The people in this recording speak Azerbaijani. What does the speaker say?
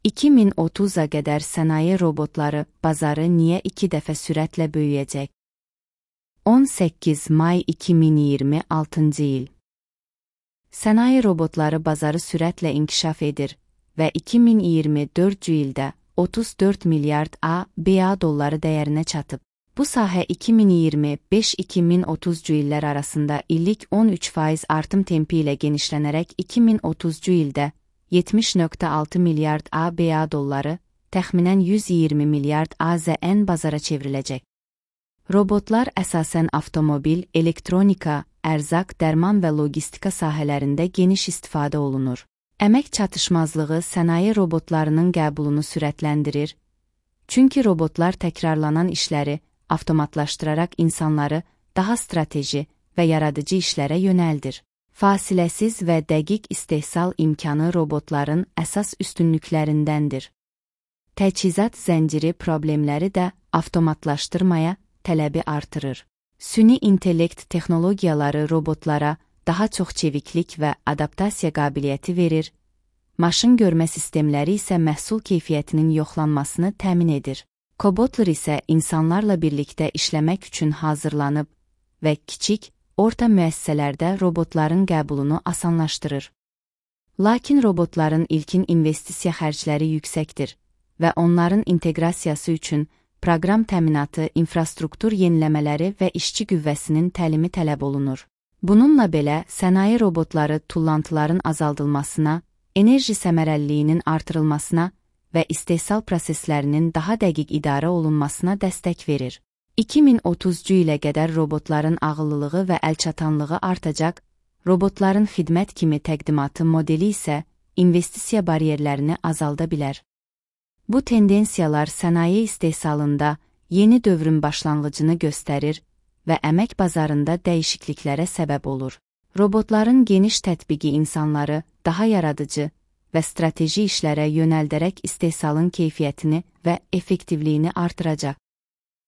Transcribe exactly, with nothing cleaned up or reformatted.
iki min otuz'a qədər sənaye robotları bazarı niyə iki dəfə sürətlə böyüyəcək? on səkkiz may iki min iyirmi altıncı il. Sənaye robotları bazarı sürətlə inkişaf edir və iki min iyirmi dördüncü ildə otuz dörd milyard ABŞ dolları dəyərinə çatıb. Bu sahə iki min iyirmi beş iki min otuzuncu illər arasında illik on üç faiz artım tempi ilə genişlənərək iki min otuzuncu ildə yetmiş nöqtə altı milyard ABŞ dolları, təxminən yüz iyirmi milyard AZN bazara çevriləcək. Robotlar əsasən avtomobil, elektronika, ərzaq, dərman və logistika sahələrində geniş istifadə olunur. Əmək çatışmazlığı sənaye robotlarının qəbulunu sürətləndirir, çünki robotlar təkrarlanan işləri avtomatlaşdıraraq insanları daha strateji və yaradıcı işlərə yönəldir. Fasiləsiz və dəqiq istehsal imkanı robotların əsas üstünlüklərindəndir. Təchizat zənciri problemləri də avtomatlaşdırmaya tələbi artırır. Süni intellekt texnologiyaları robotlara daha çox çeviklik və adaptasiya qabiliyyəti verir, maşın görmə sistemləri isə məhsul keyfiyyətinin yoxlanmasını təmin edir. Kobotlar isə insanlarla birlikdə işləmək üçün hazırlanıb və kiçik, orta müəssisələrdə robotların qəbulunu asanlaşdırır. Lakin robotların ilkin investisiya xərcləri yüksəkdir və onların inteqrasiyası üçün proqram təminatı, infrastruktur yeniləmələri və işçi qüvvəsinin təlimi tələb olunur. Bununla belə, sənaye robotları tullantıların azaldılmasına, enerji səmərəliliyinin artırılmasına və istehsal proseslərinin daha dəqiq idarə olunmasına dəstək verir. iki min otuzuncu ilə qədər robotların ağıllılığı və əlçatanlığı artacaq, robotların xidmət kimi təqdimatı modeli isə investisiya bariyerlərini azalda bilər. Bu tendensiyalar sənaye istehsalında yeni dövrün başlanğıcını göstərir və əmək bazarında dəyişikliklərə səbəb olur. Robotların geniş tətbiqi insanları daha yaradıcı və strateji işlərə yönəldərək istehsalın keyfiyyətini və effektivliyini artıracaq.